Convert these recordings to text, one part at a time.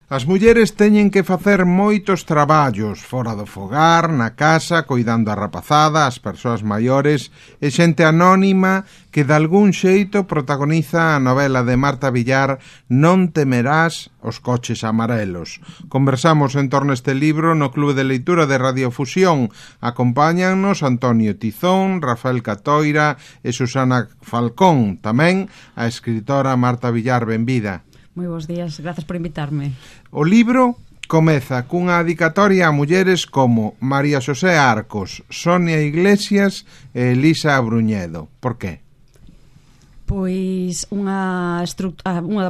As mulleres teñen que facer moitos traballos fora do fogar, na casa, coidando a rapazada, as persoas maiores e xente anónima que de algún xeito protagoniza a novela de Marta Villar Non temerás os coches amarelos. Conversamos en torno a este libro no Clube de Leitura de Radiofusión. Acompáñannos Antonio Tizón, Rafael Catoira e Susana Falcón. Tamén a escritora Marta Villar. Benvida. Moi bons días, grazas por invitarme. O libro comeza cunha dedicatoria a mulleres como María Xosé Arcos, Sonia Iglesias e Elisa Bruñedo. Por qué? Pois unha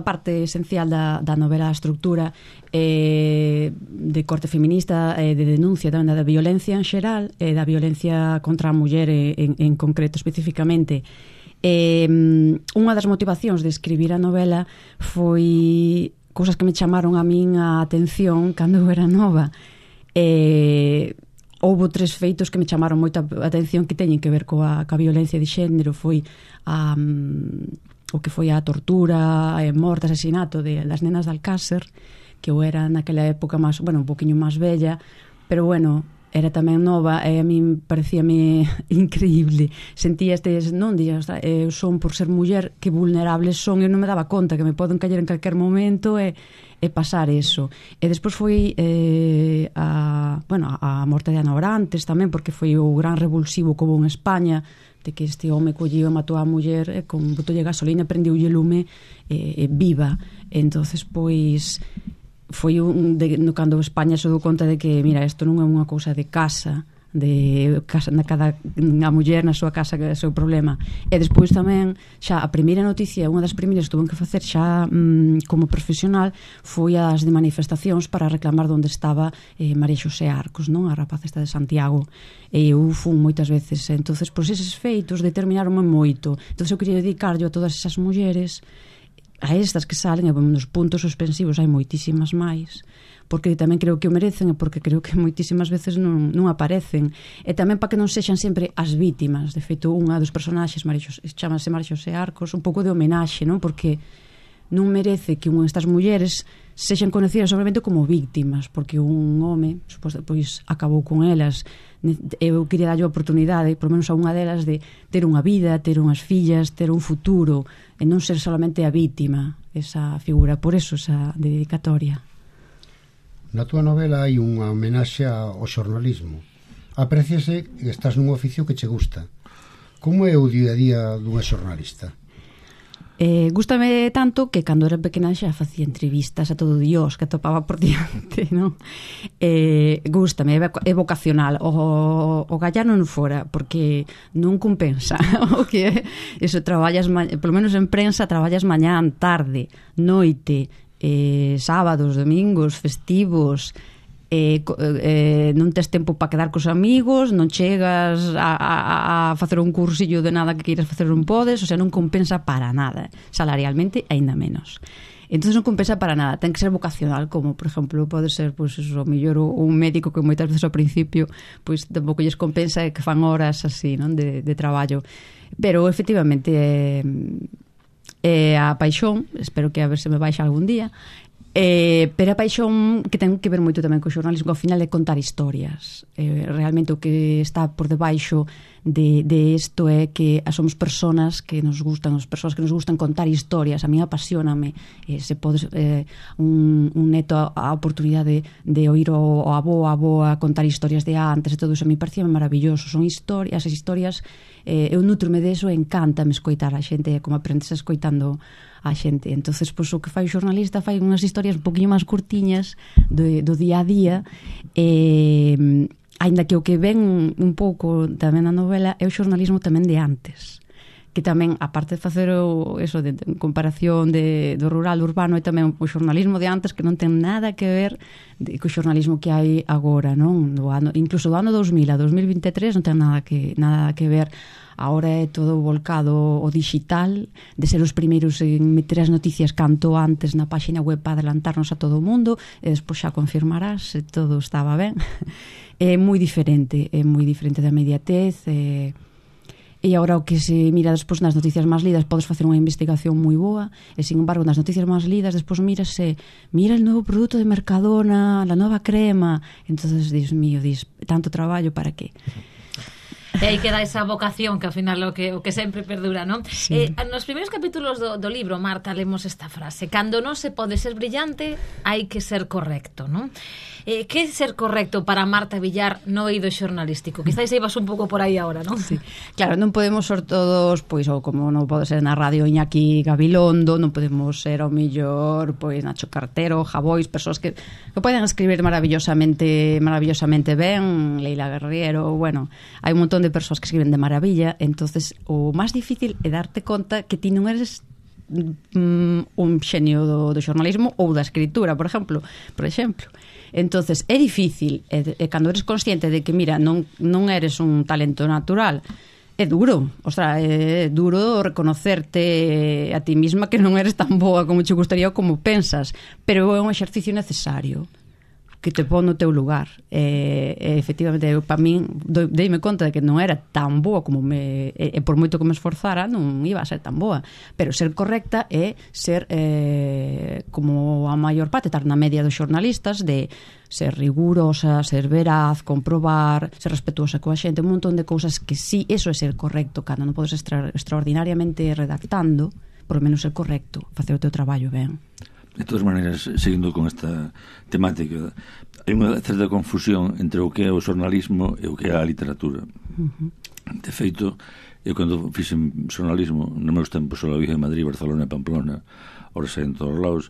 parte esencial da novela, a estructura de corte feminista, de denuncia tamén da violencia en xeral, da violencia contra a muller en concreto especificamente. Unha das motivacións de escribir a novela foi cousas que me chamaron a min a atención cando eu era nova. Houbo 3 feitos que me chamaron moita atención que teñen que ver coa violencia de xénero. Foi o que foi a tortura, morte, asesinato das nenas de Alcácer, que eu era naquela época máis, un poquinho máis bella, pero era tamén nova e a min parecíame increíble. Sentía eu son por ser muller, que vulnerables son, eu non me daba conta que me poden caer en calquer momento e pasar eso. E despois foi a morte de Ana Orantes tamén, porque foi o gran revulsivo que houve en España, de que este home colleu e matou a muller e con botolle gasolina prendiulle lume viva. Entonces pois foi cando España se dou conta de que, mira, isto non é unha cousa de casa, a muller na súa casa, que é o seu problema. E despois tamén, xa a primeira noticia, unha das primeiras que tuve que facer xa como profesional, foi as de manifestacións para reclamar onde estaba María Xosé Arcos, non? A rapaza esta de Santiago. E eu fun moitas veces. Entonces, pois eses feitos determinaronme moito. Entonces eu quería dedicarlo a todas esas mulleres, a estas que salen, e nos puntos suspensivos hai moitísimas máis, porque tamén creo que o merecen e porque creo que moitísimas veces non aparecen, e tamén para que non sexan sempre as vítimas. De feito, unha dos personaxes chamase María Xosé Arcos, un pouco de homenaxe, non? Porque non merece que estas mulleres sexan conocidas solamente como víctimas, porque un home pois acabou con elas. Eu quería darlle a oportunidade, por menos a unha delas, de ter unha vida, ter unhas fillas, ter un futuro, e non ser solamente a vítima, esa figura. Por eso esa dedicatoria. Na túa novela hai unha homenaxe ao xornalismo. Apréciase que estás nun oficio que che gusta. Como é o día a día dunha xornalista? Gústame tanto que cando era pequena xa facía entrevistas a todo Dios que atopaba por diante, non? Gústame, é vocacional. O gallar non fora, porque non compensa. O que eso, traballas, polo menos en prensa, traballas mañán, tarde, noite, sábados, domingos, festivos, non tes tempo para quedar cos amigos, non chegas a facer un cursillo de nada que queiras facer, non podes, o sea, non compensa para nada, salarialmente aínda menos. Entón non compensa para nada, ten que ser vocacional, como por exemplo pode ser pois o mellor un médico que moitas veces ao principio pois tampouco lles compensa que fan horas así, non, de traballo. Pero efectivamente a paixón, espero que a ver se me baixa algún día. Pero a paixón que ten que ver moito tamén co xornalismo, ao final é contar historias. Realmente o que está por debaixo de isto é que somos persoas que nos gustan, as persoas que nos gustan contar historias. A mí apasioname, se podes un neto a oportunidade de oír o avó, a avoa contar historias de antes e todo eso, a mí parecía maravilloso. Son historias, as historias, eu nutrome deso e encántame escoitar a xente, como aprendes escoitando a xente. Entonces, pois, o que fai o xornalista fai unhas historias un poquinho máis curtiñas do día a día, aínda que o que ven un pouco tamén na novela é o xornalismo tamén de antes, que tamén, aparte de facer eso de comparación do rural urbano, é tamén o xornalismo de antes que non ten nada que ver co xornalismo que hai agora, non? Incluso do ano 2000 a 2023 non ten nada que ver. Ahora é todo volcado ao digital, de ser os primeiros en meter as noticias canto antes na páxina web para adelantarnos a todo o mundo, e despois xa confirmarás se todo estaba ben. É moi diferente da inmediatez, E agora o que se mira despois nas noticias máis lidas, podes facer unha investigación moi boa, e sin embargo nas noticias máis lidas despois mira el novo produto de Mercadona, la nova crema, entonces Dios mío, tanto traballo para que... E aí queda esa vocación que ao final o que sempre perdura, non? Sí. Nos primeiros capítulos do libro, Marta, lemos esta frase: cando non se pode ser brillante, hai que ser correcto, non? Que é ser correcto para Marta Villar no eido xornalístico? Quizás ibas un pouco por aí agora, non? Sí. Claro, non podemos ser todos, pois, ou como non pode ser na radio Iñaki Gabilondo, non podemos ser ao millor, pois, Nacho Cartero, Javois, persoas que poden escribir maravillosamente ben, Leila Guerriero, bueno, hai un montón de persoas que escriben de maravilla, entonces o máis difícil é darte conta que ti non eres un xenio do xornalismo ou da escritura, por exemplo. Entonces é difícil, e cando eres consciente de que, mira, non eres un talento natural, é duro, é duro reconocerte a ti mesma que non eres tan boa como che gustaría ou como pensas, pero é un exercicio necesario que te pon no teu lugar. Efectivamente, para min deime conta de que non era tan boa como e por moito que me esforzara non iba a ser tan boa, pero ser correcta é ser como a maior parte, estar na media dos xornalistas, de ser rigurosa, ser veraz, comprobar, ser respetuosa coa xente, un montón de cousas que sí, eso é ser correcto. Cando non podes estar extraordinariamente redactando, por lo menos ser correcto, facer o teu traballo ben. De todas maneiras, seguindo con esta temática, hai unha certa confusión entre o que é o xornalismo e o que é a literatura. De feito, eu cando fixen xornalismo, nos meus tempos só vive en Madrid, Barcelona e Pamplona, ahora sei en todos os lados,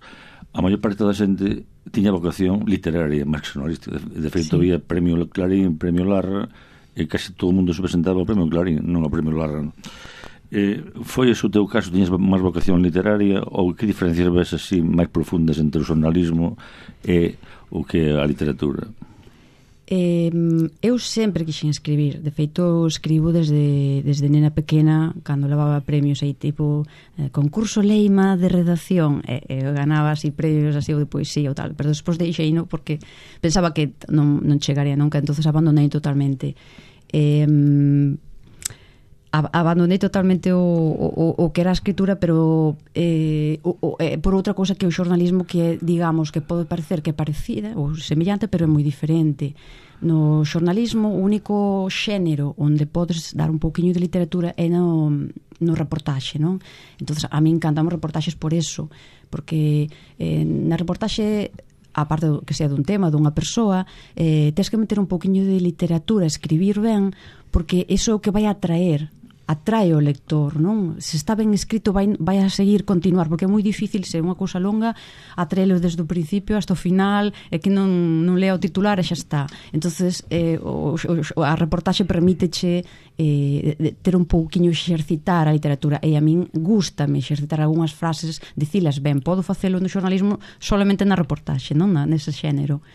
a maior parte da xente tiña vocación literaria, máis que xornalística. De feito, había premio Clarín, premio Larra, e casi todo o mundo se presentaba ao premio Clarín, non ao premio Larra, non? Foi ese o teu caso? Tiñas máis vocación literaria, ou que diferencias ves así máis profundas entre o xornalismo e o que é a literatura? Eu sempre quixen escribir. De feito, escribo desde nena pequena, cando levaba premios aí, tipo concurso Leima de redacción, eu ganaba así premios así de poesía ou tal, pero despois deixeino porque pensaba que non chegaría nunca, entonces abandonei totalmente. Abandonei totalmente o que era a escritura, pero por outra cousa que o xornalismo, que digamos que pode parecer que é parecida ou semellante, pero é moi diferente. No xornalismo, o único xénero onde podes dar un pouquiño de literatura é no reportaxe, non? Entonces, a mí encantan os reportaxes por eso, porque na reportaxe, a parte que sea dun tema, dunha persoa, tens que meter un pouquiño de literatura, escribir ben, porque iso é o que vai atrae o lector, non? Se está ben escrito vai a seguir continuar, porque é moi difícil, se é unha cousa longa, atraelo desde o principio hasta o final, e que non lea o titular e xa está. Entonces a reportaxe permíteche ter un pouquiño exercitar a literatura, e a min gústame exercitar algunhas frases, dicilas ben. Podo facelo no xornalismo solamente na reportaxe, non nese xénero.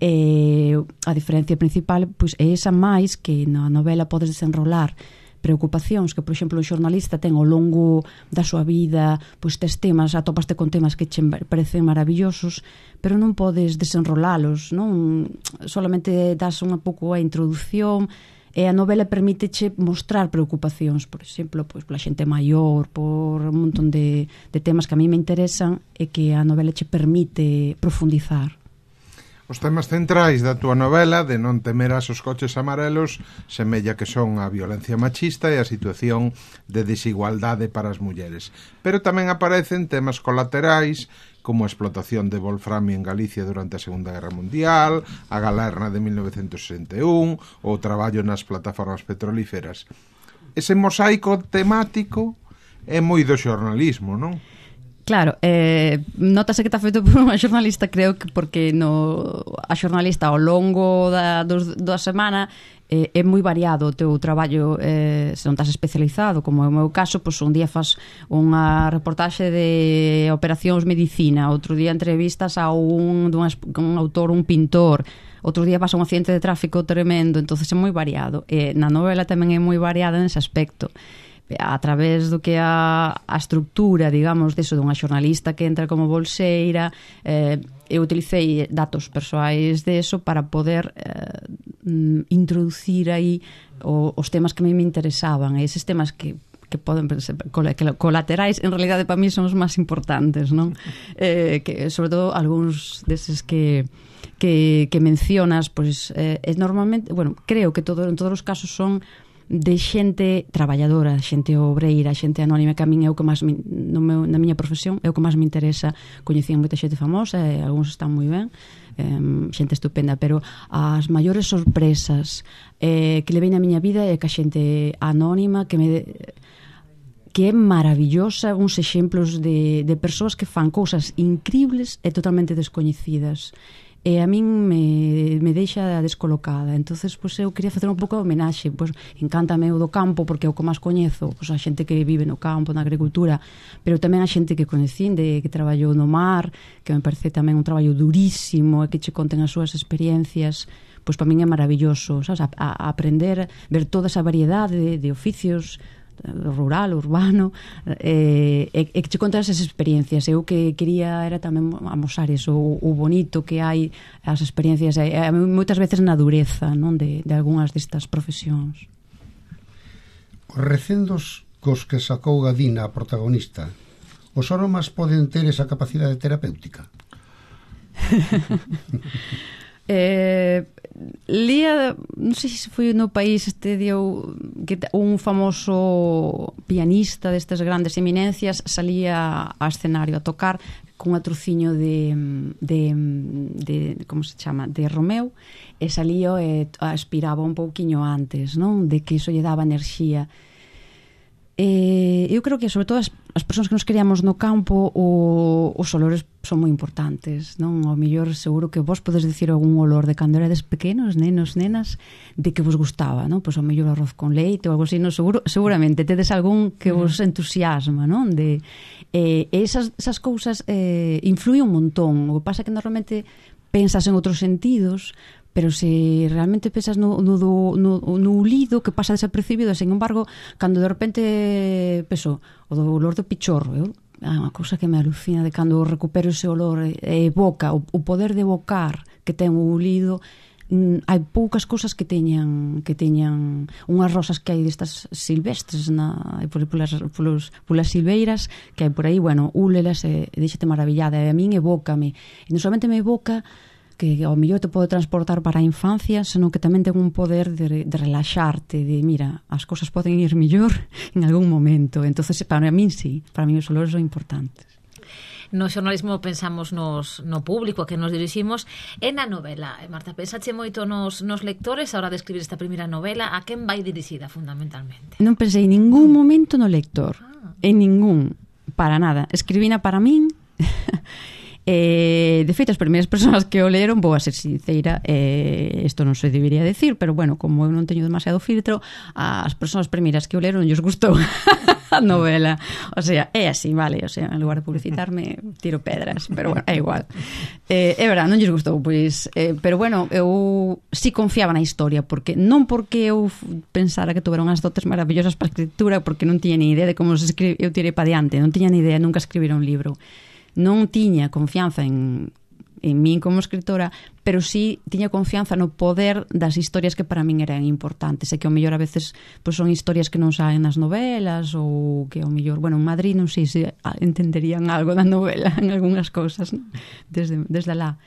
A diferencia principal, pois, é esa, máis que na novela podes desenrolar preocupacións que, por exemplo, un xornalista ten ao longo da súa vida, pois tes temas, atopaste con temas que che parecen maravillosos, pero non podes desenrolalos, non? Solamente das unha pouco a introducción, e a novela permíteche mostrar preocupacións, por exemplo, pois pola xente maior, por un montón de temas que a mí me interesan, e que a novela che permite profundizar. Os temas centrais da túa novela, de Non temerás os coches amarelos, semella que son a violencia machista e a situación de desigualdade para as mulleres. Pero tamén aparecen temas colaterais, como a explotación de wolframio en Galicia durante a Segunda Guerra Mundial, a Galerna de 1961, ou o traballo nas plataformas petrolíferas. Ese mosaico temático é moi do xornalismo, non? Claro, notase que está feito por unha xornalista, creo que porque a xornalista ao longo da semana é moi variado o teu traballo, se non estás especializado, como é o meu caso, pois un día faz unha reportaxe de operacións medicina, outro día entrevistas a un autor, un pintor, outro día pasa un accidente de tráfico tremendo, entonces é moi variado. Na novela tamén é moi variada nese aspecto, a través do que a estructura, digamos, deso dunha xornalista que entra como bolseira. Eu utilicei datos persoais deso para poder introducir aí os temas que a mí me interesaban, e eses temas que poden ser colaterais, en realidade para mí son os máis importantes, non? Que sobre todo algúns deses que mencionas, pois normalmente, bueno, creo que en todos os casos son de xente traballadora, xente obreira, xente anónima, que a min é o que máis na miña profesión é o que máis me interesa. Coñecían moita xente famosa e algúns están moi ben, xente estupenda, pero as maiores sorpresas que levei na miña vida é que a xente anónima que é maravillosa, uns exemplos de persoas que fan cousas incríbles e totalmente descoñecidas, e a min me deixa descolocada. Entonces, pois, eu quería facer un pouco de homenaxe. Pois, encántame o do campo, porque é o que máis coñezo, pois, a xente que vive no campo, na agricultura, pero tamén a xente que conhecín, que traballou no mar, que me parece tamén un traballo durísimo, e que che conten as súas experiencias. Pois para min é maravilloso, sabes? A aprender, ver toda esa variedade de oficios, rural, urbano, e que che contan esas experiencias. Eu que quería era tamén amosar eso, o bonito que hai, as experiencias, moitas veces na dureza, non, de algunhas destas profesións. Os recendos cos que sacou Gadina, a protagonista, os oromas poden ter esa capacidade terapéutica? Lía, non sei se foi no País un famoso pianista destes grandes eminencias salía ao escenario a tocar con un trociño de como se chama, de Romeo, e salía e aspiraba un pouquiño antes, non, de que iso lle daba enerxía. Eu creo que sobre todo as persoas que nos criamos no campo os olores son moi importantes, non? Ao mellor seguro que vos podes dicir algún olor de cando erades pequenos, nenos, nenas, de que vos gustaba, non? Pois ao mellor arroz con leite ou algo así, non? Seguramente tedes algún que vos entusiasma, non? Esas cousas influyen un montón. O que pasa é que normalmente pensas en outros sentidos, pero se realmente pensas no ulido, que pasa desapercibido, sin embargo, cando de repente penso, o do olor do pichorro, é unha cousa que me alucina, de cando recupero ese olor e evoca, o poder de evocar que ten o ulido. Hai poucas cousas que teñan unhas rosas que hai destas silvestres polas silveiras que hai por aí, bueno, úlelas e deixate maravillada, e a min evócame, e non solamente me evoca que ao mellor te pode transportar para a infancia, senón que tamén ten un poder de relaxarte, de mira, as cousas poden ir mellor en algún momento. Entonces, para min sí, para mí os olores son importantes. No xornalismo pensamos no público a que nos diriximos e na novela. Marta, pensache moito nos lectores a hora de escribir esta primeira novela, a quen vai dirixida fundamentalmente? Non pensei en ningún momento no lector, en ningún, para nada. Escribina para min. De feito, as primeiras persoas que o leron, vou a ser sinceira, isto non se debería decir, pero bueno, como eu non teño demasiado filtro, as persoas primeiras que o leron lles gustou a novela. O sea, é así, vale, o sea, en lugar de publicitarme tiro pedras, pero bueno, é igual. É verdade, non lles gustou, pois, pero bueno, eu si confiaba na historia, porque non porque eu pensara que tuvera unhas dotes maravillosas para a escritura, porque non tiña ni idea de como se escribe, eu tirei para diante, non tiña ni idea nunca escribir un libro. Non tiña confianza en min como escritora, pero sí tiña confianza no poder das historias que para min eran importantes, e que ao mellor a veces pois son historias que non saen nas novelas, ou que ao mellor, bueno, en Madrid non sei se entenderían algo da novela en algunhas cousas, ¿no? desde lá.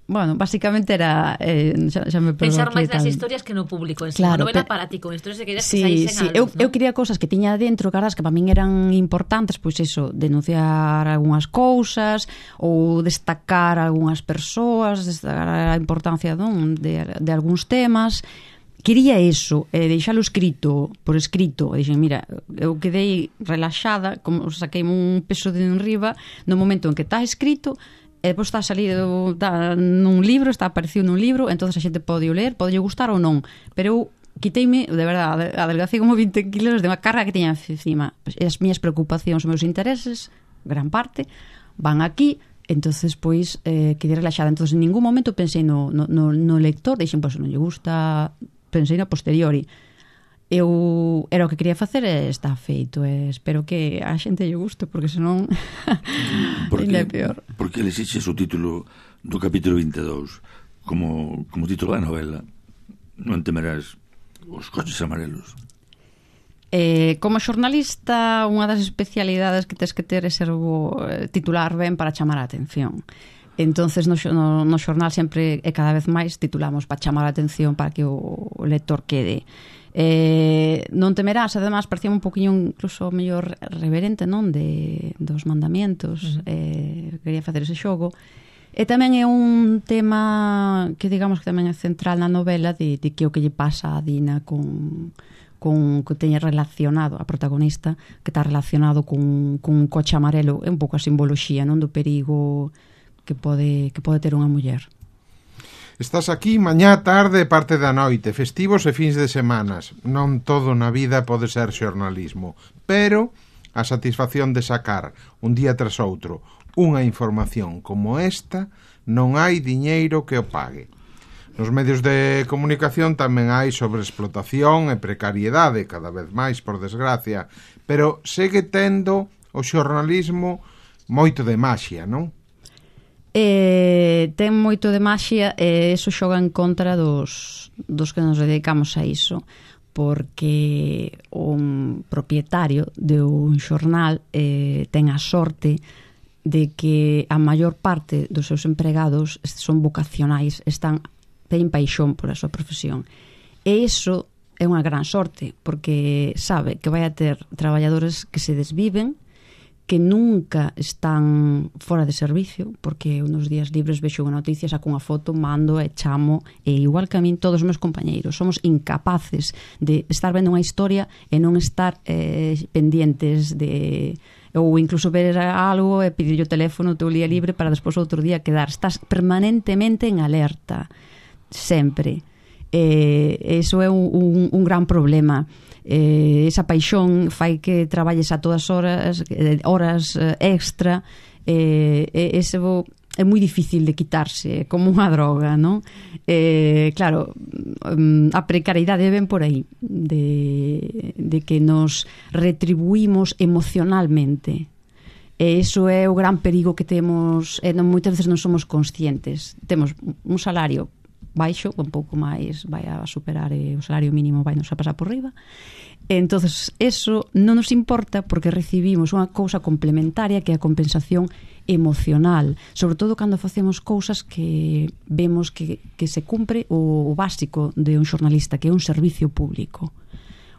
Bueno, básicamente era xa me pensar máis nas historias que no público en sí. Claro, novela para ti, con historias que querías que saísen algo, eu quería cousas que tiña dentro, caras que para min eran importantes, pois eso, denunciar algunhas cousas ou destacar algunhas persoas, destacar a importancia de algúns temas. Quería eso, deixalo escrito, por escrito, e dixen, mira, eu quedei relaxada, como saquei un peso de enriba no momento en que está escrito. E depois está salido nun libro, está aparecido nun libro, entonces a xente pode o ler, pode gustar ou non, pero eu quiteime, de verdade, adelgacei como 20 kilos de unha carga que teña encima. As miñas preocupacións, os meus intereses, gran parte, van aquí, entonces pois quedei relaxada. Entonces en ningún momento pensei no lector, deixen, pois non lle gusta, pensei no posteriori. Eu era o que quería facer e está feito, e espero que a xente lle guste, porque senón ainda é peor. Porque elixes o título do capítulo 22, como título da novela, non temerás os coches amarelos. Como xornalista, unha das especialidades que tens que ter é ser titular ben para chamar a atención. Entonces no xornal sempre e cada vez máis titulamos para chamar a atención, para que o lector quede. Non temerás, además, parecía un poquinho incluso mellor reverente, non, dos mandamientos. Quería facer ese xogo. E tamén é un tema que digamos que tamén é central na novela, de que o que lle pasa a Dina con que teña relacionado a protagonista, que está relacionado con un coche amarelo. É un pouco a simboloxía, non, do perigo que pode ter unha muller. Estás aquí mañá, tarde e parte da noite, festivos e fins de semanas. Non todo na vida pode ser xornalismo, pero a satisfacción de sacar un día tras outro unha información como esta, non hai diñeiro que o pague. Nos medios de comunicación tamén hai sobreexplotación e precariedade, cada vez máis, por desgracia, pero segue tendo o xornalismo moito de maxia, non? Ten moito de maxia e iso xoga en contra dos que nos dedicamos a iso, porque un propietario de un xornal ten a sorte de que a maior parte dos seus empregados son vocacionais, teñen paixón por a súa profesión. E iso é unha gran sorte, porque sabe que vai a ter traballadores que se desviven, que nunca están fora de servicio, porque nos días libres vexo unha noticia, saco unha foto, mando e chamo, e igual que a min todos os meus compañeiros somos incapaces de estar vendo unha historia e non estar pendientes de, ou incluso ver algo e pedir o teléfono o teu día libre para despois outro día quedar. Estás permanentemente en alerta, sempre. Eso é un gran problema. Esa paixón fai que traballes a todas horas extra, eso é moi difícil de quitarse, como unha droga, non? Claro, a precariedade ven por aí, de que nos retribuímos emocionalmente. E iso é o gran perigo que temos, e moitas veces non somos conscientes. Temos un salario baixo, un pouco máis vai a superar o salario mínimo, vai nos a pasar por riba. Entonces, eso non nos importa porque recibimos unha cousa complementaria que é a compensación emocional, sobre todo cando facemos cousas que vemos que se cumpre o básico de un xornalista, que é un servicio público.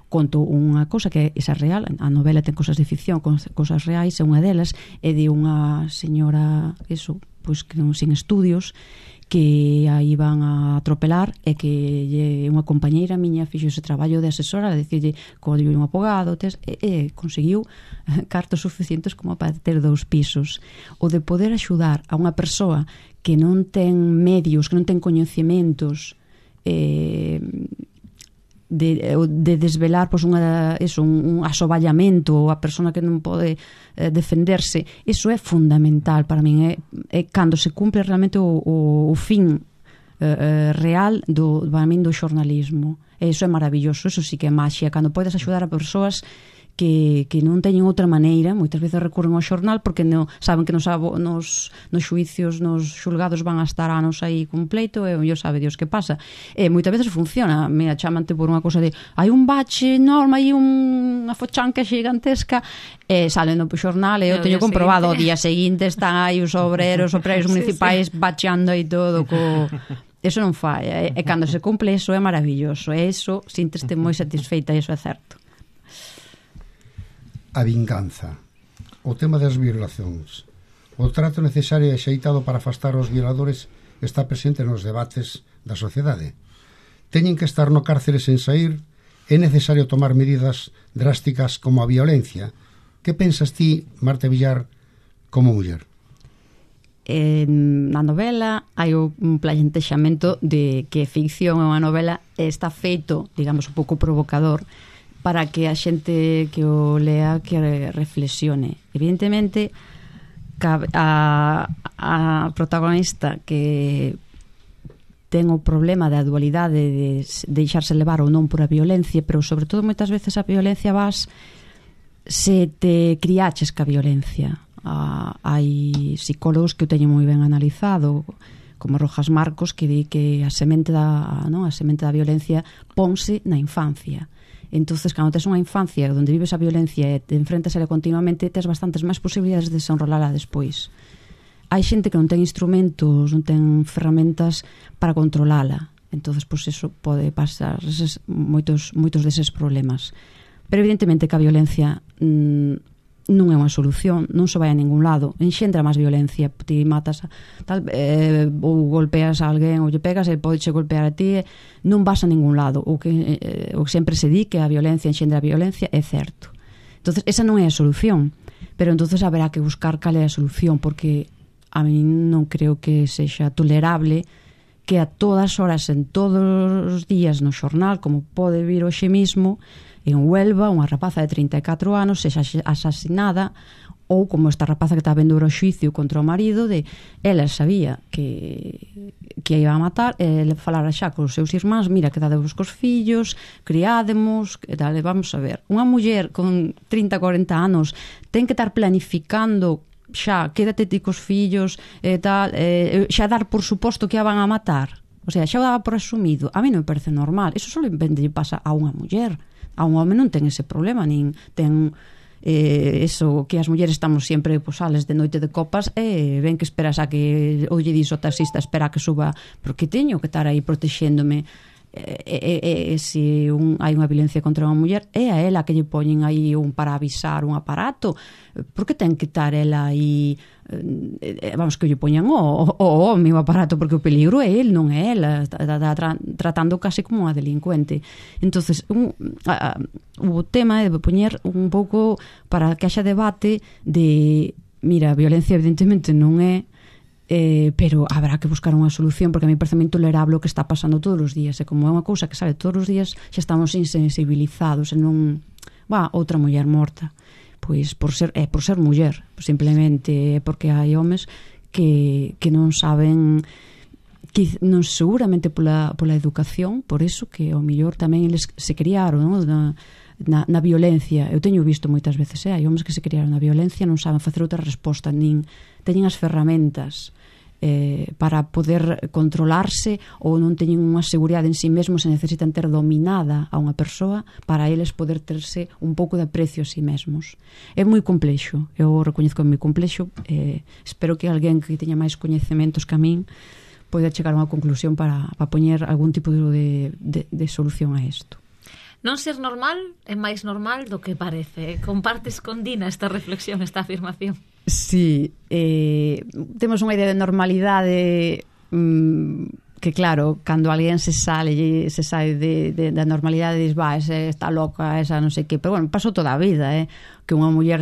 Conto unha cousa que esa real, a novela ten cosas de ficción, cosas reais, e unha delas é de unha señora, eso, pois que non sin estudios, que a iban a atropelar e que unha compañeira miña fixo ese traballo de asesora, de dicirlle código un abogado, e conseguiu cartos suficientes como para ter 2 pisos. O de poder axudar a unha persoa que non ten medios, que non ten coñecementos, de desvelar pois un asoballamento, a persona que non pode defenderse, iso é fundamental para min, é cando se cumpre realmente o fin real para min do xornalismo. E iso é maravilloso, iso sí que é maxia, cando podes axudar a persoas que non teñen outra maneira. Moitas veces recurren ao xornal porque saben que nos xuicios, nos xulgados van a estar anos aí con pleito, e yo sabe Dios que pasa. E moitas veces funciona. Mira, chamante por unha cousa de hai un bache enorme, hai unha fochanca gigantesca, e salen no xornal, e eu teño comprobado o día seguinte están aí os obreros municipais bacheando aí todo eso non fai, e cando se cumple eso é maravilloso, e eso sínteste moi satisfeita, e iso é certo. A vinganza, o tema das violacións, o trato necesario e axeitado para afastar os violadores está presente nos debates da sociedade. Teñen que estar no cárcere sen saír, é necesario tomar medidas drásticas como a violencia. Que pensas ti, Marta Villar, como muller? Na novela hai un plantexamento de que ficción é unha novela e está feito, digamos, un pouco provocador, para que a xente que o lea que reflexione. Evidentemente, a protagonista que ten o problema da dualidade de deixarse levar ou non por a violencia, pero sobre todo moitas veces a violencia se te criaches ca violencia. Hai psicólogos que o teñen moi ben analizado, como Rojas Marcos, que di que a semente da violencia ponse na infancia. Entonces, cando tes unha infancia onde vives a violencia e te enfrentas a ela continuamente, tes bastantes máis posibilidades de desenrolala despois. Hai xente que non ten instrumentos, non ten ferramentas para controlala. Entonces, pois eso pode pasar moitos deses problemas. Pero evidentemente que a violencia non é unha solución, non se vai a ningún lado, enxendra máis violencia, ti matas ou golpeas a alguén ou lle pegas e podeche golpear a ti, non vas a ningún lado. O que sempre se di que a violencia enxendra a violencia é certo. Entonces esa non é a solución, pero entonces haberá que buscar cal é a solución, porque a mí non creo que sexa tolerable que a todas horas, en todos os días no xornal, como pode vir hoxe mismo, en Huelva, unha rapaza de 34 anos sexa asasinada, ou como esta rapaza que está vendo o xuicio contra o marido, de ela sabía que a iba a matar, e falara xa cos seus irmáns, mira, quedadevos cos fillos, criádemos, dale, vamos a ver. Unha muller con 30-40 anos ten que estar planificando xa, quédate ti cos fillos e tal, xa dar por suposto que a van a matar. O sea, xa o daba por asumido. A mí non me parece normal. Eso só lle pasa a unha muller. A un home non ten ese problema, nin ten eso que as mulleres estamos sempre sales de noite de copas e ven que esperas a que ou lle dis o taxista espera a que suba, porque teño que estar aí protexéndome. Se hai unha violencia contra unha muller, é a ela que lle poñen aí para avisar un aparato. Por que ten que estar ela aí, vamos, que lle poñan o meu aparato, porque o peligro é el, non é ela, tratando casi como unha delincuente. Entonces o tema é de poñer un pouco para que haxa debate de, mira, a violencia evidentemente non é, pero habrá que buscar unha solución, porque a mí parece moi intolerable o que está pasando todos os días, e como é unha cousa que sabe todos os días, xa estamos insensibilizados, e non, outra muller morta, pois por ser muller, simplemente porque hai homes que non saben, que non seguramente pola educación, por eso que ao mellor tamén eles se criaron, non? Na violencia. Eu teño visto moitas veces, hai homes que se criaron na violencia, non saben facer outra resposta, nin teñen as ferramentas para poder controlarse, ou non teñen unha seguridade en si mesmos, se necesitan ter dominada a unha persoa para eles poder terse un pouco de aprecio a si mesmos. É moi complexo, eu recoñezco que é moi complexo, espero que alguén que teña máis coñecementos que a min poida chegar a unha conclusión para poñer algún tipo de solución a isto. Non ser normal é máis normal do que parece. Compartes con Dina esta reflexión, esta afirmación? Sí, temos unha idea de normalidade que claro, cando alguén se sae da normalidade, dis, esa está loca, esa non sei que, pero bueno, pasou toda a vida, que unha muller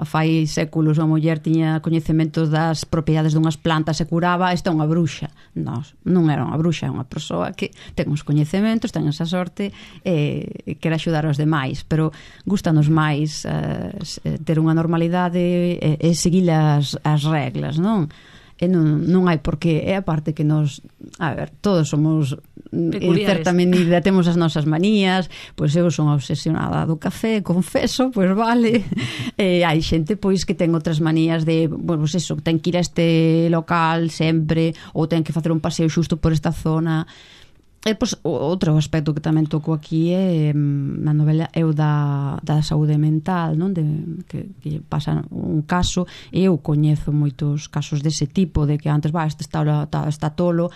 fai séculos, unha muller tiña coñecementos das propiedades dunhas plantas e curaba, esta é unha bruxa. Non era unha bruxa, é unha persoa que ten uns coñecementos, ten esa sorte e quere axudar aos demais, pero gustanos máis ter unha normalidade e seguir as reglas, non? E non hai porqué, é a parte que nos, a ver, todos somos en certa medida, temos as nosas manías, pois eu son obsesionada do café, confeso, pois vale, hai xente pois que ten outras manías de, pois eso, ten que ir a este local sempre, ou ten que facer un paseo xusto por esta zona. E pois outro aspecto que tamén toco aquí é na novela é o da saúde mental, non? Que pasa un caso, eu coñezo moitos casos dese tipo, de que antes este está tolo,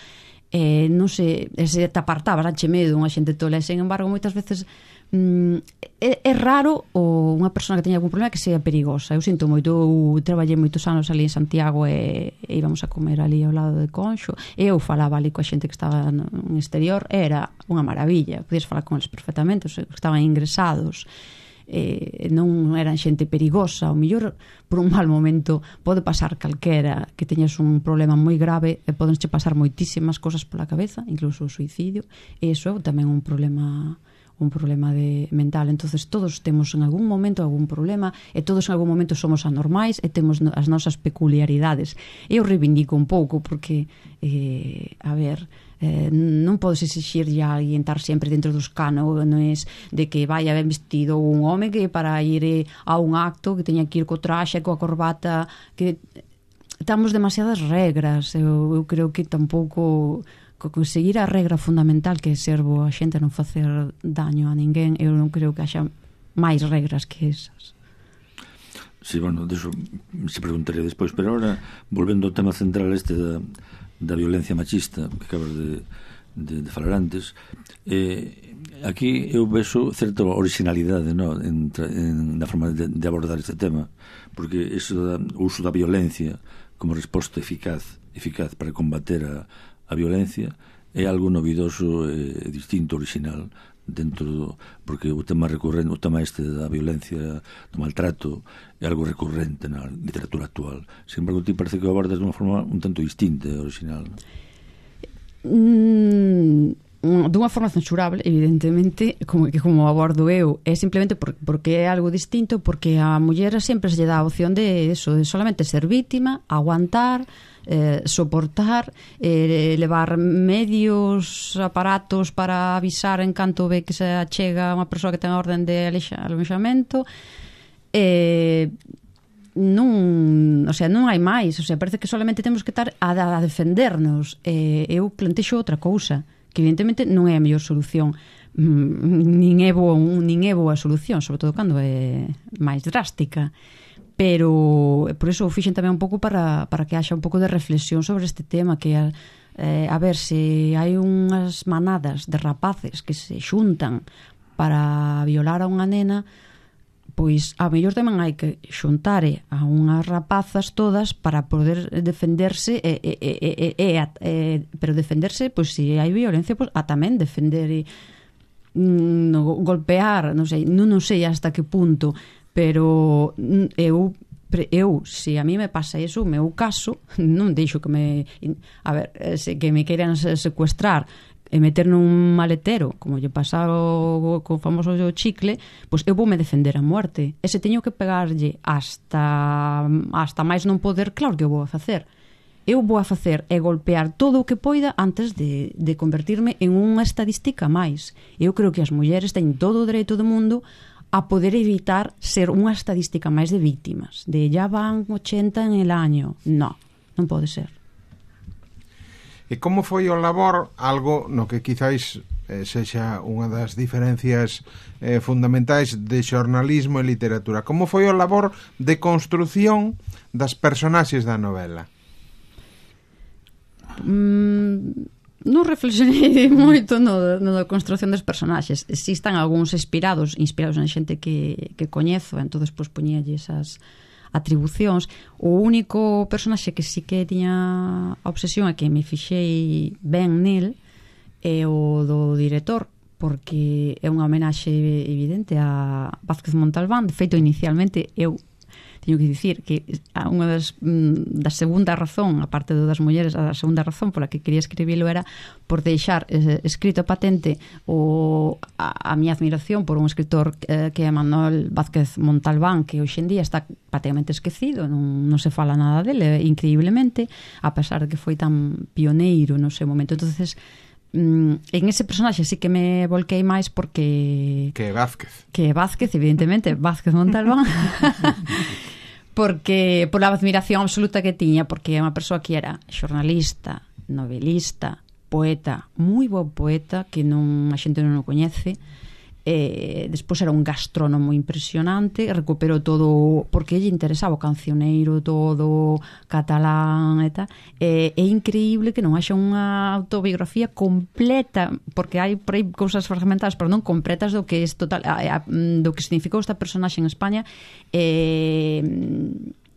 non sei, se te apartabas, anche medo unha xente tola, e sen embargo moitas veces é raro unha persona que teña algún problema que sea perigosa. Eu sinto moito, eu traballei moitos anos ali en Santiago e íbamos a comer ali ao lado de Conxo, e eu falaba ali coa xente que estaba en exterior, era unha maravilla, podías falar con eles perfectamente, os que estaban ingresados, non eran xente perigosa. O mellor por un mal momento pode pasar calquera que teñas un problema moi grave e podenche pasar moitísimas cosas pola cabeza, incluso o suicidio, e iso é tamén un problema mental. Entonces todos temos en algún momento algún problema, e todos en algún momento somos anormais e temos as nosas peculiaridades. Eu reivindico un pouco porque a ver, non podes exixirlle a alguén estar sempre dentro dos cánones de que vaya ben vestido, un home que para ir a un acto que teña que ir co traxe, coa corbata, que Tamos demasiadas regras. Eu creo que tampouco conseguir a regra fundamental que é ser boa xente, non facer daño a ninguén. Eu non creo que haxa máis regras que esas. Sí, bueno, deso se preguntaría despois, pero ahora, volvendo ao tema central este da violencia machista que acabas de falar antes, aquí eu vexo certa originalidade, no, na forma de abordar este tema, porque o uso da violencia como resposta eficaz para combater a violencia é algo novidoso, distinto, original, porque o tema recurrente, o tema este da violencia, do maltrato, é algo recurrente na literatura actual. Sin embargo, ti parece que o abordas de unha forma un tanto distinta e original. Dunha forma censurable, evidentemente, como abordo eu, é simplemente porque é algo distinto, porque a muller sempre se lle dá a opción de solamente ser vítima, aguantar, soportar, levar medios, aparatos para avisar en canto ve que se achega unha persoa que ten a orden de alojamento. Non hai máis, parece que solamente temos que estar a defendernos. Eu plantexo outra cousa, que evidentemente non é a mellor solución, nin é boa solución, sobre todo cando é máis drástica, pero por iso o fixen tamén un pouco para que haxa un pouco de reflexión sobre este tema, que a ver, se hai unhas manadas de rapaces que se xuntan para violar a unha nena, pois a mellor tamén hai que xuntare a unhas rapazas todas para poder defenderse, pero defenderse, pois se hai violencia, pois a tamén defender, golpear, non sei hasta que punto, pero eu, se a mí me pasa eso, o meu caso, non deixo que me queiran secuestrar e meter nun maletero, como lle pasa co famoso chicle, pois eu voume defender a muerte. E se teño que pegarlle hasta máis non poder, claro que eu vou a facer. Eu vou a facer é golpear todo o que poida antes de convertirme en unha estadística máis. Eu creo que as mulleres teñen todo o dereito do mundo a poder evitar ser unha estadística máis de víctimas, de ya van 80 en el año. Non pode ser. E como foi o labor, algo no que quizáis sexa unha das diferencias fundamentais de xornalismo e literatura, como foi o labor de construción das personaxes da novela? Non reflexionei moito no da construción dos personaxes. Si están algúns inspirados en xente que coñezo, entón despois poñíalle esas atribucións. O único personaxe que sí que tiña a obsesión e que me fixei ben nel é o do director, porque é unha homenaxe evidente a Vázquez Montalbán. De feito, inicialmente eu teño que dicir que unha da segunda razón, a parte das mulleres, a segunda razón pola que quería escribilo era por deixar escrito patente a miña admiración por un escritor que é Manuel Vázquez Montalbán, que hoxe en día está prácticamente esquecido, non se fala nada dele, increíblemente, a pesar de que foi tan pioneiro no seu momento. Entonces, en ese personaxe sí que me volquei máis porque... Que é Vázquez, evidentemente, Vázquez Montalbán. Porque pola admiración absoluta que tiña, porque é unha persoa que era xornalista, novelista, poeta, moi bo poeta, que a xente non o coñece. Despois era un gastrónomo impresionante, recuperou todo, porque lle interesaba o cancioneiro todo, catalán e tal. É increíble que non haxa unha autobiografía completa, porque hai por aí cousas fragmentadas, pero non completas do que é total, do que significou esta personaxe en España.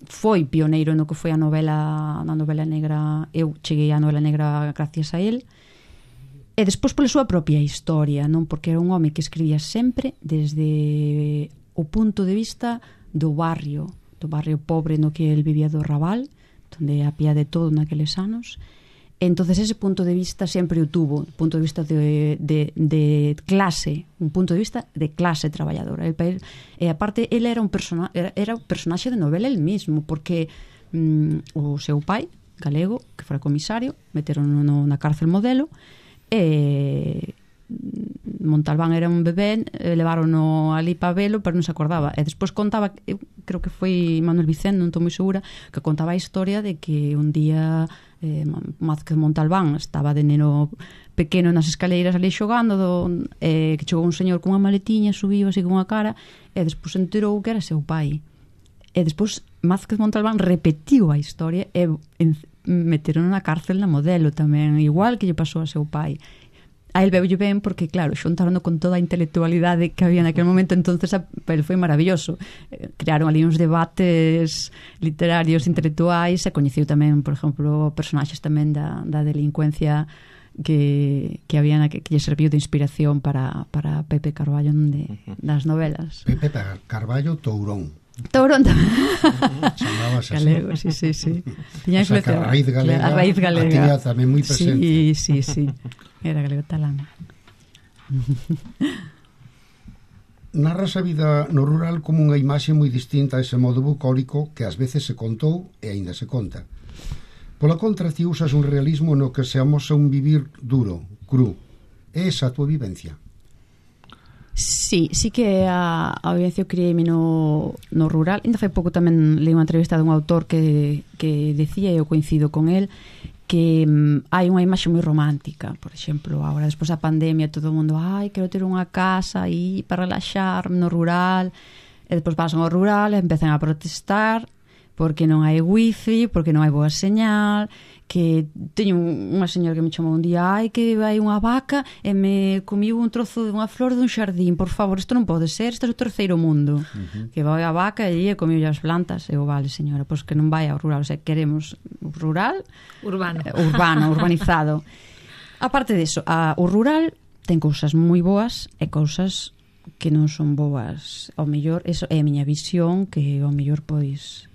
Foi pioneiro no que foi na novela negra. Eu cheguei á novela negra gracias a él. E despois pola súa propia historia, non? Porque era un home que escribía sempre desde o punto de vista do barrio pobre no que el vivía, do Raval, onde había de todo naqueles anos. Entonces ese punto de vista sempre o tuvo, un punto de vista de clase, un punto de vista de clase traballadora. E aparte, ele era un personaxe de novela el mismo, porque o seu pai, galego, que fora comisario, meteron na cárcel Modelo, Montalbán era un bebé, levárono ali para velo, pero non se acordaba. E despois contaba, creo que foi Manuel Vicente, non estou moi segura, que contaba a historia de que un día Mázquez Montalbán estaba de neno pequeno nas escaleiras ali xogando que chegou un señor cunha maletiña, subiu así cunha cara e despois enterou que era seu pai. E despois Mázquez Montalbán repetiu a historia e meteron na cárcel na Modelo tamén, igual que lle pasou a seu pai. A el veulle ben porque, claro, xuntaron con toda a intelectualidade que había naquele momento, entonces ele foi maravilloso. Crearon ali uns debates literarios, intelectuais, e coñeciu tamén, por exemplo, personaxes tamén da delincuencia que había que lle serviu de inspiración para Pepe Carballo das novelas. Pepe Carballo Tourón. Tourón tamén. Chamábase así. Galego, sí. Tiña influencia. A raíz galega. Tiña tamén moi presente. Sí. Era galego talán. Narras a vida no rural como unha imaxe moi distinta a ese modo bucólico que ás veces se contou e aínda se conta. Pola contra, ti usas un realismo no que se amosa un vivir duro, cru. É esa a tua vivencia? Sí que a vivencia que criei no rural. Ainda fai pouco tamén leí unha entrevista dun autor que decía, e eu coincido con el, que hai unha imaxe moi romántica. Por exemplo, agora despois da pandemia todo o mundo, quero ter unha casa aí para relaxar no rural, e despois pasan ao rural e empezan a protestar porque non hai wifi, porque non hai boa señal, que teño unha señora que me chamou un día, que vai unha vaca e me comiu un trozo de unha flor dun xardín, por favor, isto non pode ser, isto é o terceiro mundo. Que vai a vaca e comiu as plantas. Eu, vale, señora, pois que non vai ao rural, o sea, queremos rural urbano, urbanizado. Aparte disso, o rural ten cousas moi boas e cousas que non son boas. Ao mellor, eso é a miña visión, que ao mellor pois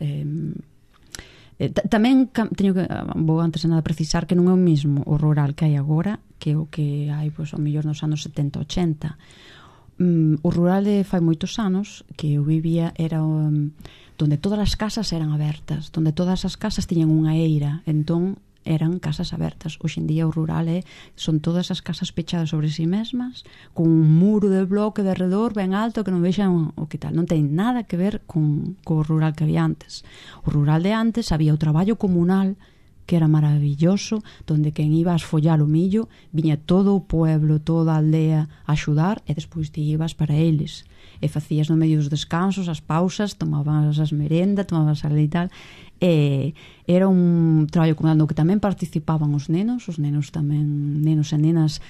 tamén teño que vou antes de nada precisar que non é o mesmo o rural que hai agora que o que hai pois ao mellor nos anos 70-80. O rural de fai moitos anos que eu vivía era donde todas as casas eran abertas, donde todas as casas tiñan unha eira, entón eran casas abertas. Hoxe en día o rural son todas as casas pechadas sobre si mesmas, con un muro de bloque de arredor ben alto que non vexan o que tal. Non ten nada que ver co rural que había antes. O rural de antes había o traballo comunal que era maravilloso, donde quen iba a esfollar o millo viña todo o pueblo, toda a aldea a axudar, e despois ti ibas para eles e facías no medio dos descansos as pausas, tomabas as merendas, tomabas a e tal, e era un traballo comunal no que tamén participaban os nenos tamén, nenos e nenas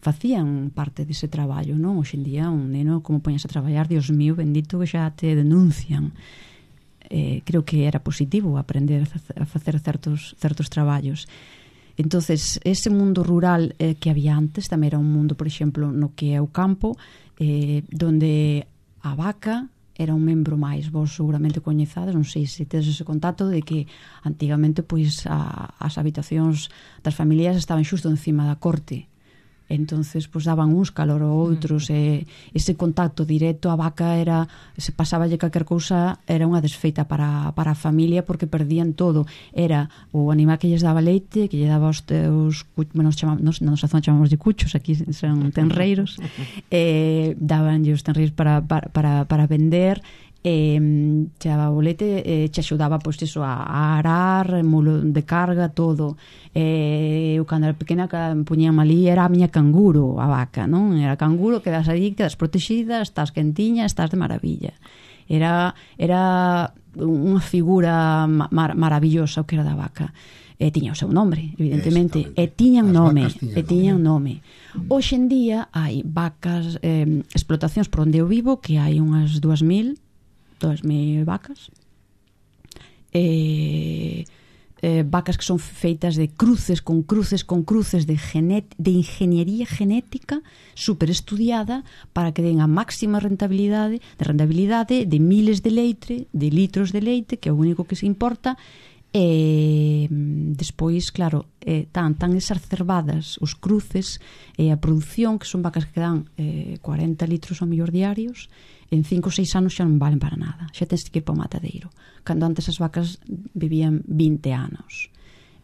facían parte dese traballo, non? Hoxe en día un neno como poñas a traballar, Dios mío, bendito, que xa te denuncian. Creo que era positivo aprender a facer certos traballos. Entonces, ese mundo rural que había antes tamén era un mundo, por exemplo, no que é o campo, donde a vaca era un membro máis. Vos seguramente coñezades, non sei se tedes ese contacto de que antigamente pois as habitacións das familias estaban xusto encima da corte. Entonces pois daban uns calor ou outros, e ese contacto directo, a vaca era, se pasáballe calquer cousa, era unha desfeita para a familia, porque perdían todo. Era o animal que lles daba leite, que lle daba os teus, bueno, na nosa zona chamamos de cuchos, aquí son tenreiros, dabanlle os tenreiros para vender, che daba o leite, che axudaba pois iso a arar, mulo de carga, todo. Eu cando era pequena puñame ali, era a miña canguro a vaca, non? Era canguro, quedas aí, quedas protegida, estás quentiña, estás de maravilla. Era unha figura maravillosa o que era da vaca. Tiña o seu nome, evidentemente, e tiñan nome. Hoxe en día hai vacas, explotacións por onde eu vivo, que hai unhas 2.000 vacas, vacas que son feitas de cruces con cruces de ingeniería genética super estudiada para que den a máxima rentabilidade de miles de leite, de litros de leite, que é o único que se importa. Despois, claro, tan exacerbadas os cruces e a produción, que son vacas que dan 40 litros ao mellor diarios, en 5 ou 6 anos xa non valen para nada, xa tens que ir para o matadeiro, cando antes as vacas vivían 20 anos.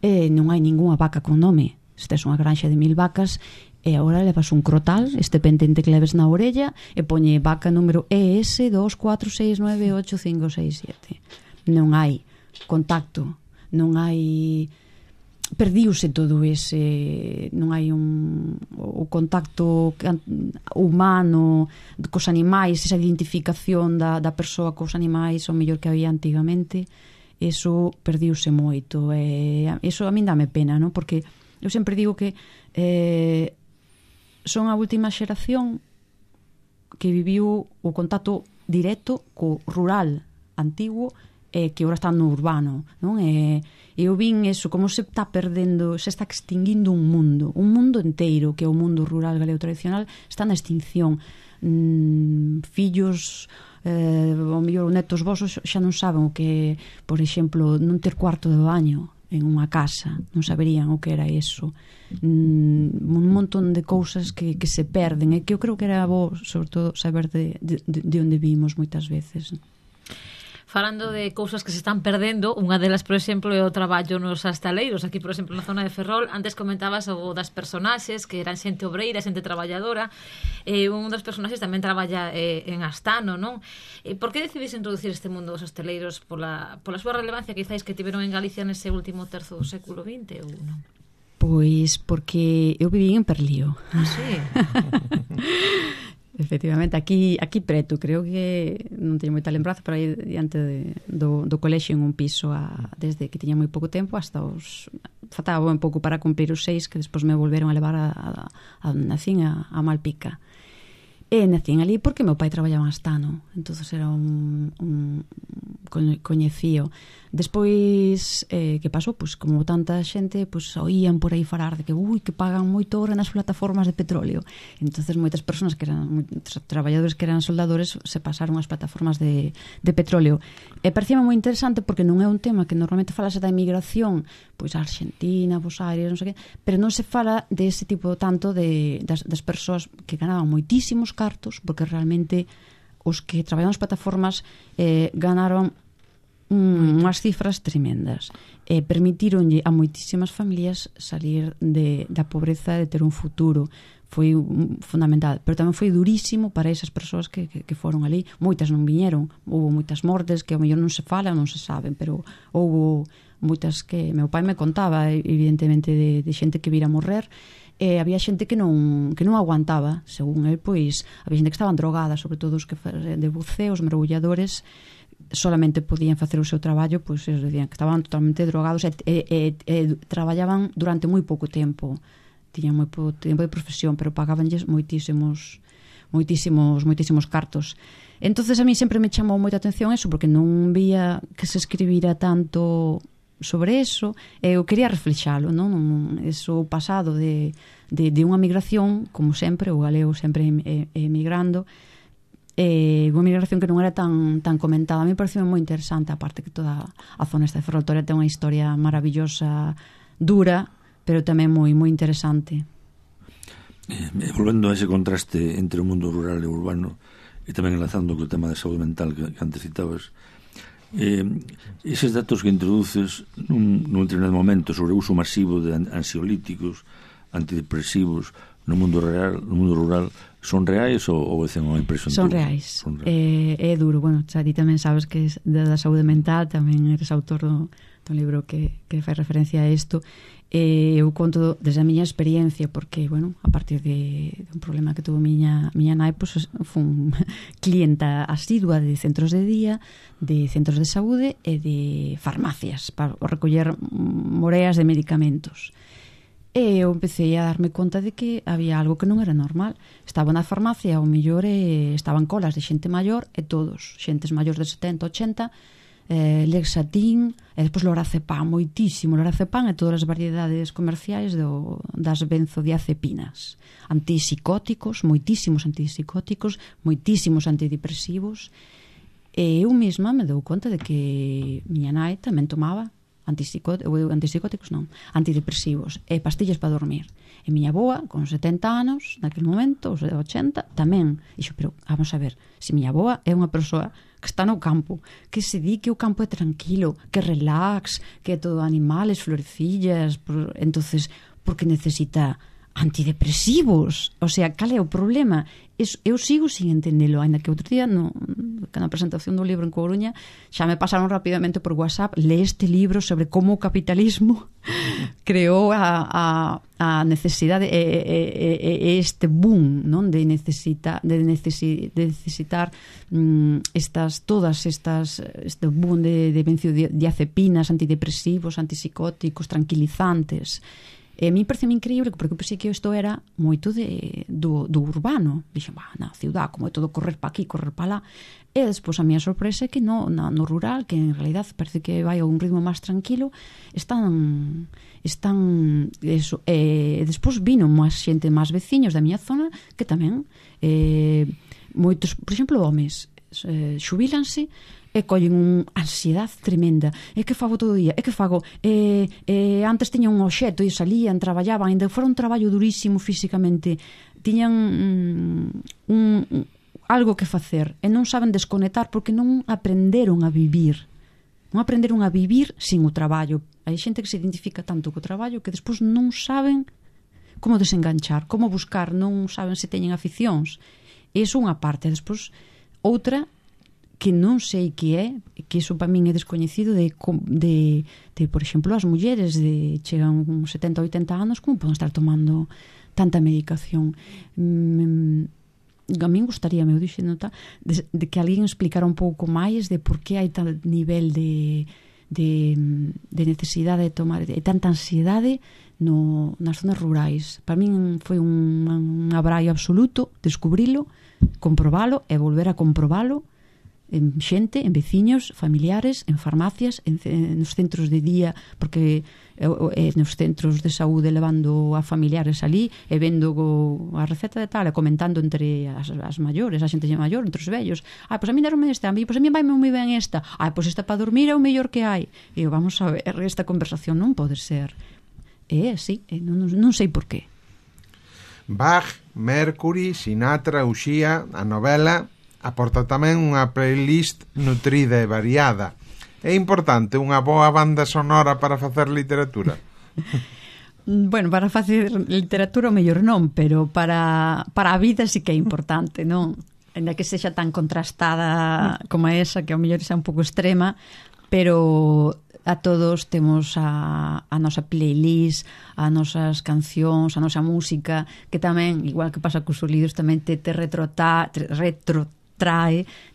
Non hai ningunha vaca con nome. Se tes unha granxa de 1000 vacas, e agora levas un crotal, este pendente que leves na orella, e poñe vaca número ES246985567. Non hai contacto, non hai... perdiuse todo ese, non hai o contacto humano cos animais, esa identificación da persoa cos animais, o mellor que había antigamente. Eso perdiuse moito, e eso a min dame pena, non? Porque eu sempre digo que son a última xeración que viviu o contacto directo co rural antigo e que agora está no urbano, non? E eu vin eso, como se está perdendo, se está extinguindo un mundo inteiro, que é o mundo rural galego tradicional, está na extinción. Fillos, ou mellor netos vosos xa non saben o que, por exemplo, non ter cuarto de baño en unha casa, non saberían o que era eso. Un montón de cousas que se perden, e que eu creo que era bo, sobre todo, saber de onde vimos moitas veces. Falando de cousas que se están perdendo, unha delas, por exemplo, é o traballo nos astaleiros. Aquí, por exemplo, na zona de Ferrol, antes comentabas o das personaxes, que eran xente obreira, xente traballadora. Un dos personaxes tamén traballa en Astano, non? Por que decidís introducir este mundo dos astaleiros? Pola súa relevancia, quizáis, que tiveron en Galicia nese último terzo do século XX, ou non? Pois porque eu viví en Perlío. Ah, sí? Efectivamente, aquí preto, creo que non teño moita lembranza, pero aí diante do colexio en un piso desde que tiña moi pouco tempo hasta os... faltaba un pouco para cumprir os 6, que despois me volveron a levar a nacín a Malpica. E nacín ali porque meu pai traballaba en Astano, entonces era un coñecío. Despois, que pasou? Pois como tanta xente oían por aí falar de que que pagan moito hora nas plataformas de petróleo. Entonces moitas persoas que eran traballadores que eran soldadores se pasaron ás plataformas de petróleo. E parecíame moi interesante porque non é un tema que normalmente falase da emigración, pois a Argentina, Buenos Aires, non sei que, pero non se fala dese tipo tanto das persoas que ganaban moitísimos cartos, porque realmente os que traballaban nas plataformas ganaron unhas cifras tremendas, permitironlle a moitísimas familias salir da pobreza, de ter un futuro. Foi fundamental, pero tamén foi durísimo para esas persoas que foron ali. Moitas non viñeron, houve moitas mortes que ao mellor non se falan, non se saben, pero houve moitas que meu pai me contaba, evidentemente, de xente que vira morrer. Había xente que non aguantaba, según el, pois había xente que estaban drogada, sobre todo os que de buceo, os mergulladores, solamente podían facer o seu traballo, pois eles dicían que estaban totalmente drogados e traballaban durante moi pouco tempo, tiñan moi pouco tempo de profesión, pero pagabanlles moitísimos cartos. Entonces a mí sempre me chamou moita atención eso, porque non vía que se escribira tanto sobre eso, e eu quería reflexalo, non? Eso pasado de unha migración, como sempre, o galego sempre emigrando, unha migración que non era tan comentada. A mí pareceu moi interesante, aparte que toda a zona esta de Ferrol ten unha historia maravillosa, dura, pero tamén moi interesante. Volvendo a ese contraste entre o mundo rural e urbano, e tamén enlazando co tema da saúde mental que antes citabas, eses datos que introduces nun determinado momento sobre o uso masivo de ansiolíticos, antidepresivos no mundo rural, son reais ou é unha impresión? Son reais. É duro. Bueno, xa ti tamén sabes que da saúde mental, tamén eres autor do libro que fai referencia a isto. Eu conto desde a miña experiencia, porque, bueno, a partir de un problema que tuvo miña nai, pues, fun clienta asidua de centros de día, de centros de saúde e de farmacias para recoller moreas de medicamentos. E eu empecé a darme conta de que había algo que non era normal. Estaba na farmacia, ao mellor estaban colas de xente maior, e todos, xentes maiores de 70, 80, Lexatin, e despois lorazepam, moitísimo lorazepam e todas as variedades comerciais das benzodiazepinas, antipsicóticos, moitísimos antipsicóticos, moitísimos antidepresivos. E eu mesma me dou conta de que miña nai tamén tomaba antidepresivos e pastillas para dormir. E miña boa, con 70 anos, naquele momento, os 80, tamén. Dixo, pero vamos a ver, se miña boa é unha persoa que está no campo, que se di que o campo é tranquilo, que relax, que é todo animales, florecillas, entonces, porque necesita antidepresivos. O sea, cal é o problema? Eu sigo sin entendelo, ainda que outro día na presentación do libro en Coruña xa me pasaron rapidamente por WhatsApp: lee este libro sobre como o capitalismo creou a necesidade este boom, non, de necesitar este boom de benzodiazepinas, antidepresivos, antipsicóticos, tranquilizantes. E a mí parece increíble, porque eu pensei que isto era moito do urbano. Dixen, na ciudad, como é todo correr pa aquí, correr pa lá. E despois a miña sorpresa é que no rural, que en realidad parece que vai a un ritmo máis tranquilo, están eso. E despois vino máis xente, máis veciños da miña zona, que tamén moitos, por exemplo, homes xubílanse e collen unha ansiedade tremenda. E que fago todo o día? E que fago? Antes tiñan un obxeto e salían, traballaban, ainda fora un traballo durísimo físicamente, tiñan algo que facer e non saben desconectar porque non aprenderon a vivir. Non aprenderon a vivir sin o traballo. Hai xente que se identifica tanto co traballo que despois non saben como desenganchar, como buscar, non saben se teñen aficións. E iso unha parte. Despois, outra que non sei que é, que iso para min é descoñecido, de por exemplo, as mulleres chegan uns 70, 80 anos, como poden estar tomando tanta medicación? A min gustaría, me dixen, de que alguén explicara un pouco máis de por que hai tal nivel de necesidade de tomar, e tanta ansiedade nas zonas rurais. Para min foi un abraio absoluto descubrilo, comprobalo e volver a comprobalo en xente, en veciños, familiares, en farmacias, nos centros de día, porque nos centros de saúde levando a familiares ali e vendo a receta de tal e comentando entre as maiores, a xente maior, entre os vellos. Pois a mí derme esta, pois a mí vai moi ben esta. Pois esta para dormir é o mellor que hai. E vamos a ver, esta conversación non pode ser. Sí, non sei por qué. Bach, Mercury, Sinatra, Uxía, a novela aporta tamén unha playlist nutrida e variada. É importante unha boa banda sonora para facer literatura? Bueno, para facer literatura o mellor non, pero para a vida sí que é importante, non? Ainda que sexa tan contrastada como esa, que ao mellor xa un pouco extrema, pero a todos temos a nosa playlist, as nosas cancións, a nosa música, que tamén, igual que pasa cos libros, tamén te retrotrae,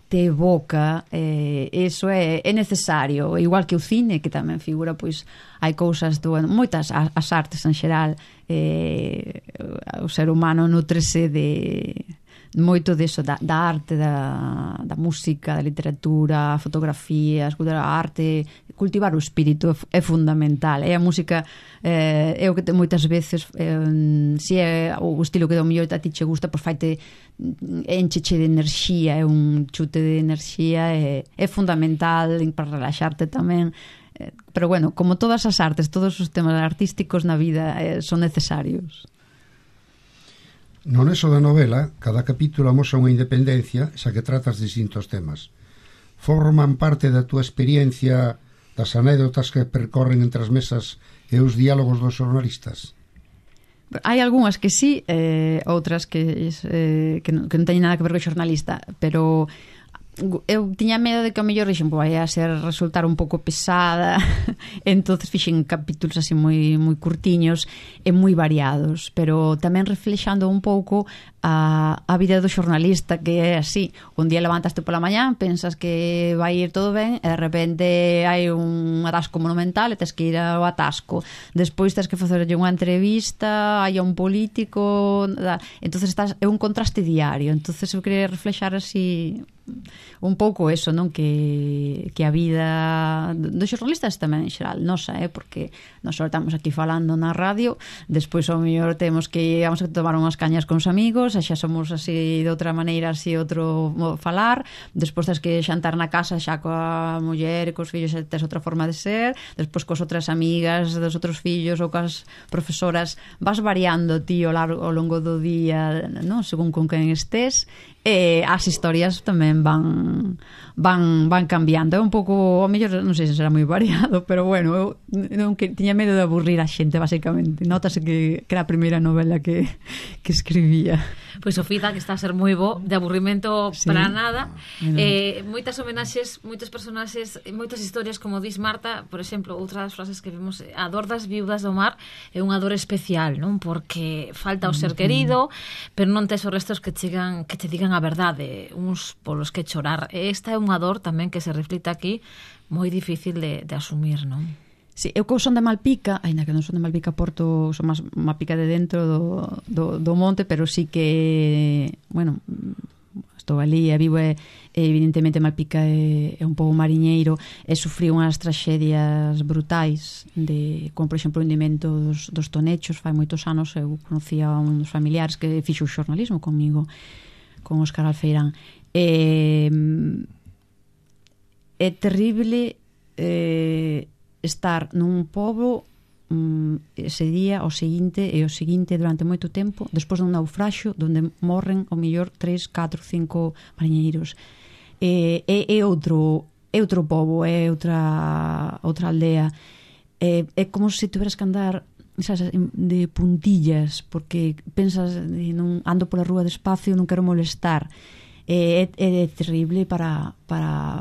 te evoca, eso é necesario, igual que o cine, que tamén figura, pois hai cousas moitas, as artes en xeral, o ser humano nutrese de moito deso, da arte, da música, da literatura, a fotografía, a arte. Cultivar o espírito é fundamental. E a música é o que moitas veces, se é o estilo que do mellor a ti che gusta, pois faite, encheche de enerxía, é un chute de enerxía, é fundamental para relaxarte tamén. Pero bueno, como todas as artes, todos os temas artísticos na vida son necesarios. No nexo da novela, cada capítulo amosa unha independencia, xa que tratas distintos temas. Forman parte da túa experiencia das anécdotas que percorren entre as mesas e os diálogos dos xornalistas? Hai algunhas que sí, outras que non teñen nada que ver co xornalista, pero eu tiña medo de que ao mellor vai a resultar un pouco pesada, entonces fixen capítulos así moi curtiños e moi variados, pero tamén reflexando un pouco a vida do xornalista, que é así: un día levantaste pola mañán, pensas que vai ir todo ben e de repente hai un atasco monumental e tens que ir ao atasco, despois tens que facerlle unha entrevista, hai un político, entonces é un contraste diario. Entonces eu quería reflexar así un pouco eso, non? Que a vida dos xornalistas tamén en xeral nosa, porque nós estamos aquí falando na radio, despois ao mellor vamos a tomar unhas cañas con os amigos, xa somos así de outra maneira, así outro falar, despois tens que xantar na casa xa coa muller e cos fillos, xa tes outra forma de ser, despois cos outras amigas dos outros fillos ou coas profesoras, vas variando ti ao longo do día, non? Según con quen estés. As historias tamén tamén van cambiando. É un pouco, ao mellor non sei se será moi variado, pero bueno, eu non tiña medo de aburrir a xente, basicamente. Notase que era a primeira novela que escribía. Pois o feedback está a ser moi bo, de aburrimento para nada. Moitas homenaxes, moitos personaxes, moitas historias, como dis Marta. Por exemplo, outra das frases que vimos, a dor das viudas do mar é unha dor especial, non? Porque falta o ser querido, pero non tes os restos que te digan a verdade, uns polos que chorar. Esta é unha dor tamén que se reflite aquí, moi difícil de asumir, non? Sí, eu que son de Malpica, aínda que non son de Malpica Porto, son máis Malpica de dentro do monte, pero sí que, bueno, estou ali e vivo, evidentemente Malpica é un pouco mariñeiro, e sufrí unhas traxedias brutais, como por exemplo o hundimento dos Tonechos. Fai moitos anos eu conocía a un dos familiares que fixo o xornalismo comigo, con Óscar Alfeirán. É terrible estar nun pobo ese día, o seguinte durante moito tempo, despois dun naufraxio onde morren ao mellor 3, 4, 5 mariñeiros. É outro pobo, é outra aldea. É como se tuveras que andar, sabes, de puntillas, porque pensas, non ando pola rúa despacio, non quero molestar. É terrible para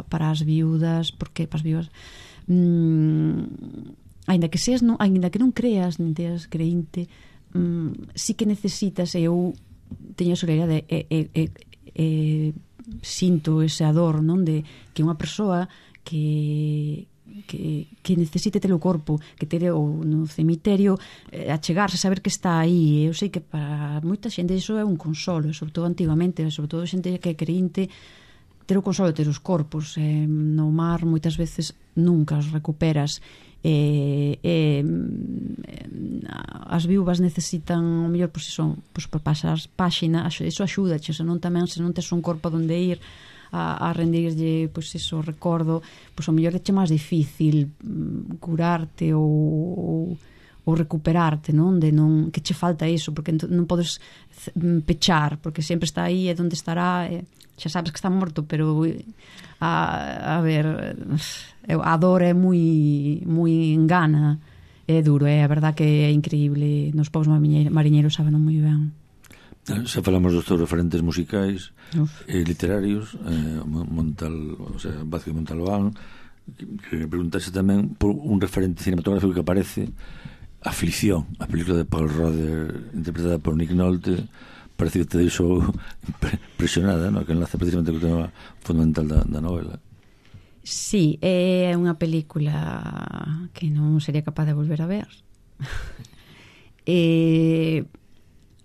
as viudas, porque para as viudas, aínda que non creas, nin teas creinte, sí que necesitas, eu teño a soledade, sinto esa dor, non, de que unha persoa que necesite ter o corpo, que ter no cemiterio, achegarse, saber que está aí. Eu sei que para moita xente iso é un consolo, sobre todo antigamente, sobre todo xente que é creinte, ter o consolo de ter os corpos. No mar moitas veces nunca os recuperas. As viúvas necesitan o mellor, pois iso, por pasar páxina, iso axuda, se non tes un corpo donde ir a rendirlle, pois iso, recordo, pois o mellor é máis difícil curarte ou recuperarte, non? Que che falta iso, porque non podes pechar, porque sempre está aí, e onde estará, xa sabes que está morto, pero a ver, a dor é moi engana, é duro, a verdad que é increíble. Nos povos mariñeiros saben moi ben. Xa falamos dos teus referentes musicais e literarios, Vázquez Montalbán, que preguntase tamén por un referente cinematográfico que aparece, Aflicción, a película de Paul Roder, interpretada por Nick Nolte. Parece que te deixou impresionada, no? Que enlace precisamente co tema fundamental da novela. Sí, é unha película que non sería capaz de volver a ver.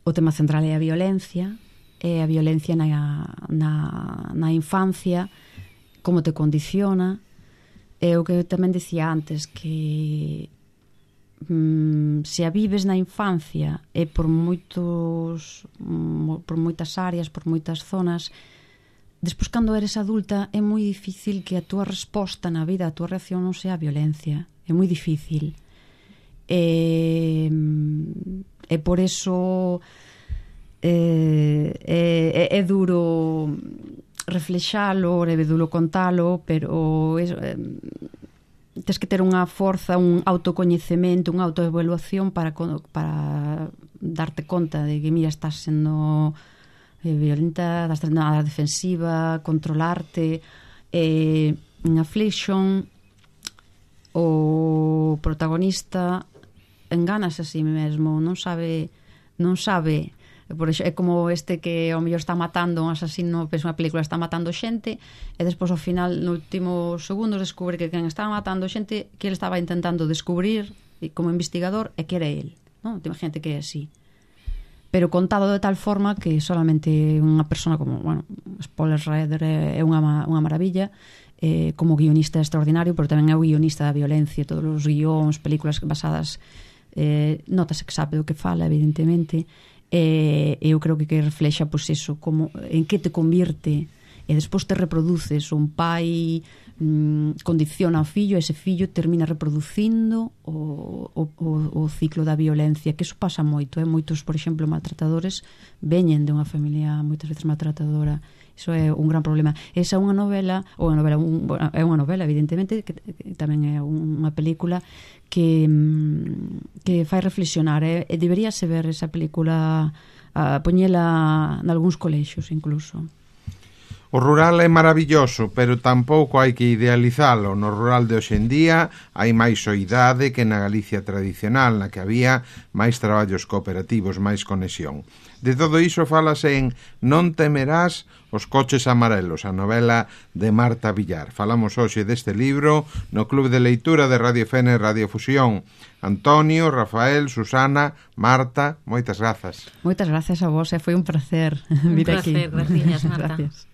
O tema central é a violencia na infancia, como te condiciona. É o que tamén decía antes, que se a vives na infancia e por moitas áreas, por moitas zonas, despois cando eres adulta é moi difícil que a túa resposta na vida, a túa reacción non sea a violencia. É moi difícil. E por eso é duro reflexalo, é duro contalo, pero tes que ter unha forza, un autocoñecemento, unha autoevaluación para darte conta de que, mira, estás sendo violenta, estás sendo a defensiva, controlarte. En Affliction, o protagonista engánase a si mesmo, non sabe, por exemplo, é como este que ao mellor está matando un asasino, pensa unha película, está matando xente, e despois ao final, no último segundo, descubre que quen estaba matando xente que ele estaba intentando descubrir como investigador é que era ele, non? Imagínate que é así, pero contado de tal forma que solamente unha persona como, bueno, Paul Roder é unha maravilla, como guionista extraordinario, pero tamén é o guionista da violencia, todos os guións, películas basadas, notase que sabe do que fala, evidentemente. Eu creo que reflexa, pois, eso, como en que te convirte e despois te reproduces, un pai condiciona ao fillo, ese fillo termina reproducindo o ciclo da violencia, que iso pasa moito, moitos, por exemplo, maltratadores veñen de unha familia moitas veces maltratadora. Iso é un gran problema. Esa é unha novela, é unha novela, evidentemente, que tamén é unha película que fai reflexionar, e deberíase ver esa película, poñela nalgúns colexios incluso. O rural é maravilloso, pero tampouco hai que idealizalo. No rural de hoxe en día hai máis soidade que na Galicia tradicional, na que había máis traballos cooperativos, máis conexión. De todo iso falase en Non temerás os coches amarelos, a novela de Marta Villar. Falamos hoxe deste libro no Club de Leitura de Radio Fene e Radio Fusión. Antonio, Rafael, Susana, Marta, moitas grazas. Moitas grazas a vos, foi un placer vir aquí. Un placer, graciñas, Marta. Gracias.